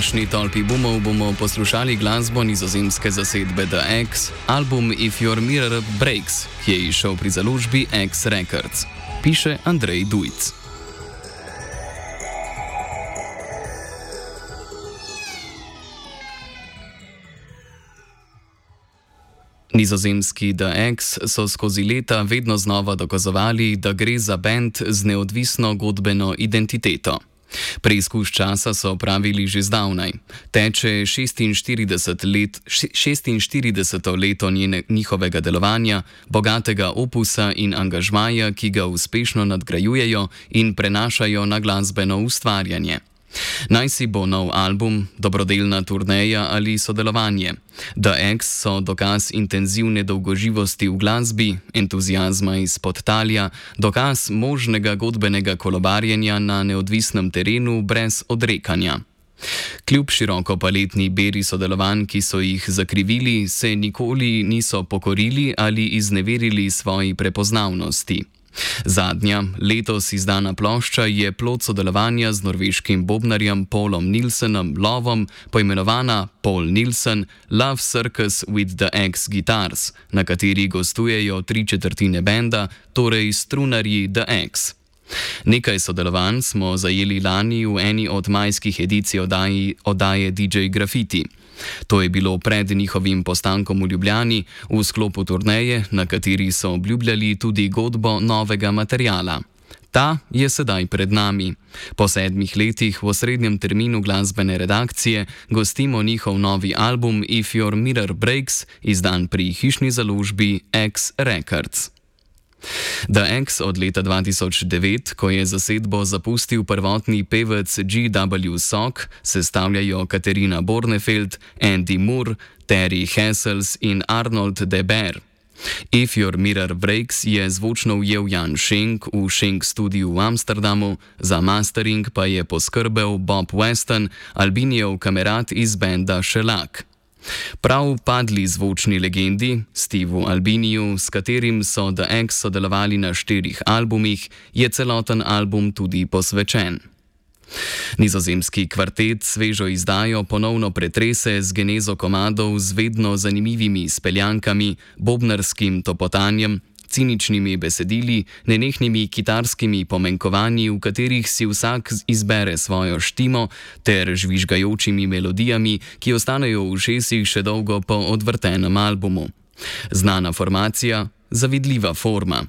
današnji tolpi boomov bomo poslušali glasbo nizozemske zasedbe The X, album If Your Mirror Breaks, ki je izšel pri založbi X Records. Piše Andrej Dujc. Nizozemski The X so skozi leta vedno znova dokazovali, da gre za bend z neodvisno godbeno identiteto. Preizkus časa so opravili že zdavnaj. Teče 46. leto njihovega delovanja, bogatega opusa in angažmaja, ki ga uspešno nadgrajujejo in prenašajo na glasbeno ustvarjanje. Naj si bo nov album, dobrodelna turneja ali sodelovanje. The X so dokaz intenzivne dolgoživosti v glasbi, entuziazma iz podtalja, dokaz možnega godbenega kolobarjenja na neodvisnem terenu brez odrekanja. Kljub širokopaletni beri sodelovanj, ki so jih zakrivili, se nikoli niso pokorili ali izneverili svoji prepoznavnosti. Zadnja, letos izdana plošča je plod sodelovanja z norveškim bobnarjem Paulom Nilsenom Lovom, poimenovana Paul Nilsen Love Circus with the X Guitars, na kateri gostujejo 3/4 benda, torej strunarji The X. Nekaj sodelovanj smo zajeli lani v eni od majskih edicij oddaje DJ Graffiti. To je bilo pred njihovim postankom v Ljubljani v sklopu turneje, na kateri so obljubljali tudi godbo novega materiala. Ta je sedaj pred nami. Po 7 letih v osrednjem terminu glasbene redakcije gostimo njihov novi album If Your Mirror Breaks, izdan pri hišni založbi X Records. The X od leta 2009, ko je zasedbo zapustil prvotni pevec G.W. Sock, sestavljajo Katerina Bornefeld, Andy Moore, Terry Hessels in Arnold de Beer. If Your Mirror Breaks je zvočno ujel Jan Schenk v Schenk studiu v Amsterdamu, za mastering pa je poskrbel Bob Weston, Albinijev kamerat iz benda Shellac. Prav padli zvočni legendi, Steveu Albiniju, s katerim so The X sodelovali na 4 albumih, je celoten album tudi posvečen. Nizozemski kvartet svežo izdajo ponovno pretrese z genezo komadov z vedno zanimivimi speljankami, bobnarskim topotanjem, ciničnimi besedili, nenehnimi kitarskimi pomenkovanji, v katerih si vsak izbere svojo štimo, ter žvižgajočimi melodijami, ki ostanejo v ušesih še dolgo po odvrtenem albumu. Znana formacija, zavidljiva forma.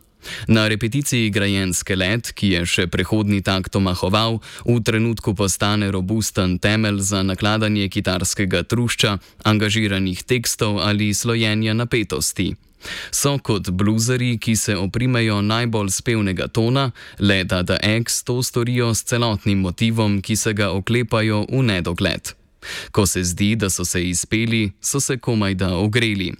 Na repeticiji grajen skelet, ki je še prehodni takt omahoval, v trenutku postane robusten temelj za nakladanje kitarskega trušča, angažiranih tekstov ali slojenja napetosti. So kot bluzeri, ki se oprimejo najbolj spevnega tona, le da The X to storijo s celotnim motivom, ki se ga oklepajo v nedogled. Ko se zdi, da so se izpeli, so se komajda ogreli.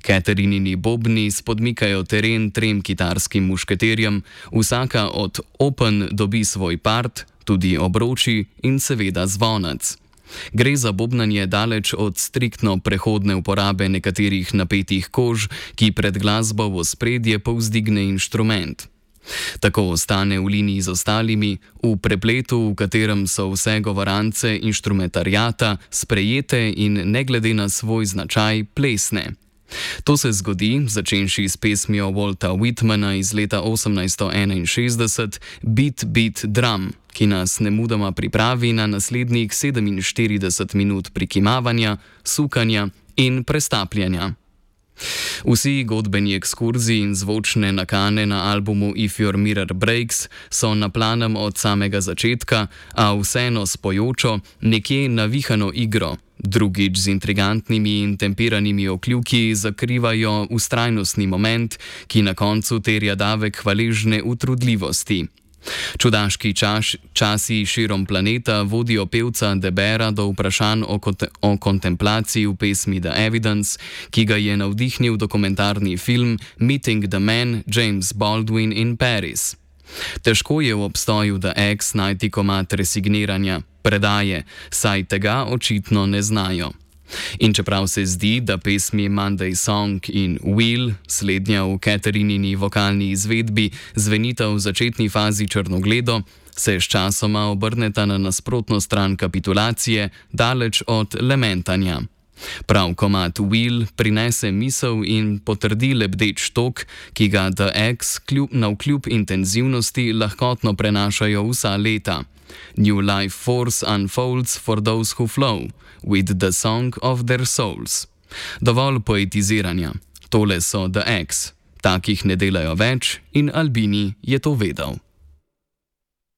Caterinini bobni spodmikajo teren 3 kitarskim mušketerjem, vsaka od open dobi svoj part, tudi obroči in seveda zvonec. Gre za bobnanje daleč od striktno prehodne uporabe nekaterih napetih kož, ki pred glasbo v ospredje povzdigne inštrument. Tako ostane v liniji z ostalimi, v prepletu, v katerem so vse govorance inštrumentariata sprejete in ne glede na svoj značaj plesne. To se zgodi, začenši s pesmijo Walta Whitmana iz leta 1861 Beat, Beat, Drum, ki nas nemudoma pripravi na naslednjih 47 minut prikimavanja, sukanja in prestapljanja. Vsi godbeni ekskurzi in zvočne nakane na albumu If Your Mirror Breaks so na planem od samega začetka, a vseeno spojočo, nekje navihano igro. Drugič z intrigantnimi in tempiranimi okljuki zakrivajo vztrajnostni moment, ki na koncu terja davek hvaležne utrudljivosti. Čudaški časi širom planeta vodijo pevca De Beera do vprašanj o kontemplaciji v pesmi The Evidence, ki ga je navdihnil dokumentarni film Meeting the Man James Baldwin in Paris. Težko je v obstoju The X najti komad resigniranja, predaje, saj tega očitno ne znajo. In čeprav se zdi, da pesmi Monday Song in Will, slednja v Catherinini vokalni izvedbi, zvenita v začetni fazi črnogledo, se sčasoma obrneta na nasprotno stran kapitulacije, daleč od lamentanja. Prav komad Will prinese misel in potrdi lebdeč tok, ki ga The X navkljub intenzivnosti lahkotno prenašajo vsa leta. New life force unfolds for those who flow, with the song of their souls. Dovolj poetiziranja. Tole so The X. Takih ne delajo več in Albini je to vedel.